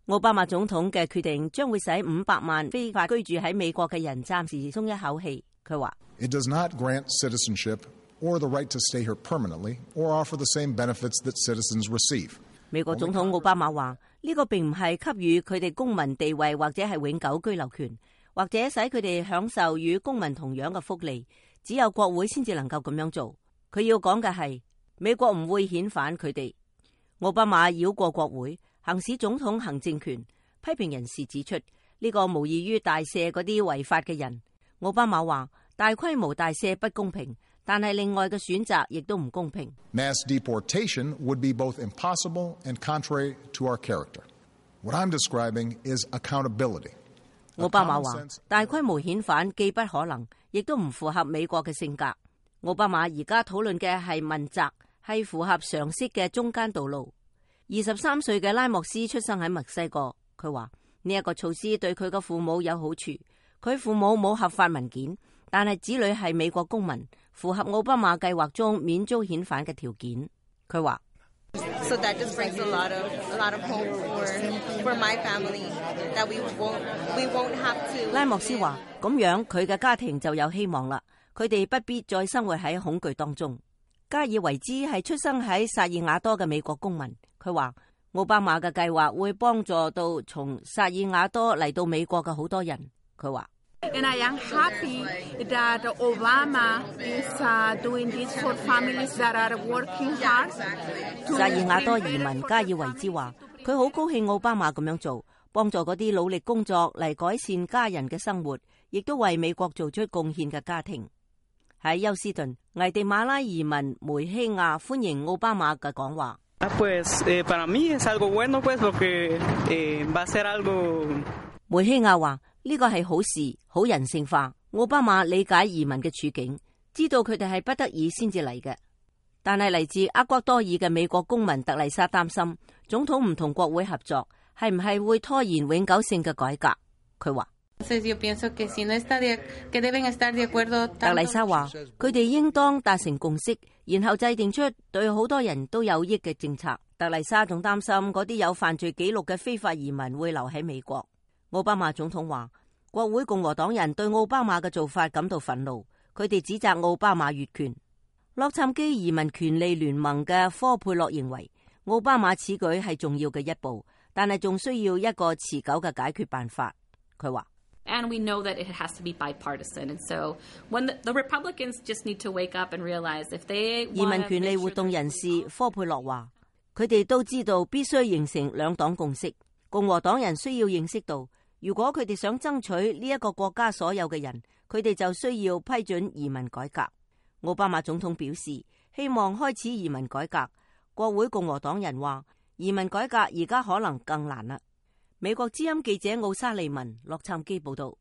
奧巴馬總統嘅決定將會使500萬非法居住喺美國嘅人暫時鬆一口氣。佢話：It does not grant citizenship or the right to stay here permanently or offer the same benefits that citizens receive。美國總統奧巴馬話：呢個並唔係給予佢哋公民地位或者係永久居留權，或者使佢哋享受與公民同樣嘅福利。只有國會先至能夠咁樣做。佢要講嘅係美國唔會遣返佢哋。奧巴馬繞過國會，行使總統行政權，批評人士指出呢個無異於大赦嗰啲違法嘅人。奧巴馬話：大規模大赦不公平，但係另外嘅選擇亦都唔公平。Mass deportation would be both impossible and contrary to our character. What I'm describing is accountability. 奧巴馬話：大規模遣返既不可能，亦都唔符合美國嘅性格。奧巴馬而家討論嘅係問責，係符合常識嘅中間道路。23歲嘅拉莫斯出生喺墨西哥，佢話呢一個措施對佢嘅父母有好處。佢父母冇合法文件，但係子女係美國公民，符合奧巴馬計劃中免遭遣返嘅條件。佢話：So that just brings a lot of hope for my family that we won't have to。拉莫斯話：咁樣佢嘅家庭就有希望啦，佢哋不必再生活喺恐懼當中。加爾維茲係出生喺薩爾瓦多嘅美國公民，佢話奧巴馬嘅計劃會幫助到從薩爾瓦多嚟到美國嘅好多人。佢話：And I am happy that Obama is doing this for families that are working hard。薩爾瓦多移民加爾維茲話：佢好高興奧巴馬咁樣做，幫助嗰啲努力工作嚟改善家人嘅生活，亦都為美國做出貢獻嘅家庭。喺休斯頓，危地馬拉移民梅希亞歡迎奧巴馬嘅講話。梅希亞話：呢個係好事，好人性化。奧巴馬理解移民嘅處境，知道佢哋係不得已先至嚟嘅。但係嚟自厄瓜多爾嘅美國公民特麗莎擔心，總統唔同國會合作，係唔係會拖延永久性嘅改革？佢話。特麗莎話：佢哋應當達成共識，然後制定出對好多人都有益嘅政策。特麗莎仲擔心嗰啲有犯罪記錄嘅非法移民會留喺美國。奧巴馬總統話：國會共和黨人對奧巴馬嘅做法感到憤怒，佢哋指責奧巴馬越權。洛杉磯移民權利聯盟嘅科佩洛認為，奧巴馬此舉係重要嘅一步，但係仲需要一個持久嘅解決辦法。佢話：And we know that it has to be bipartisan, and so when the Republicans just need to wake up and realize if they 移民權利活動人士科佩洛話，佢哋都知道必須形成兩黨共識。共和黨人需要認識到，如果佢哋想爭取呢一個國家所有嘅人，佢哋就需要批准移民改革。奧巴馬總統表示希望開始移民改革。國會共和黨人話，移民改革而家可能更難啦。美國之音記者奧沙利文洛杉磯報道。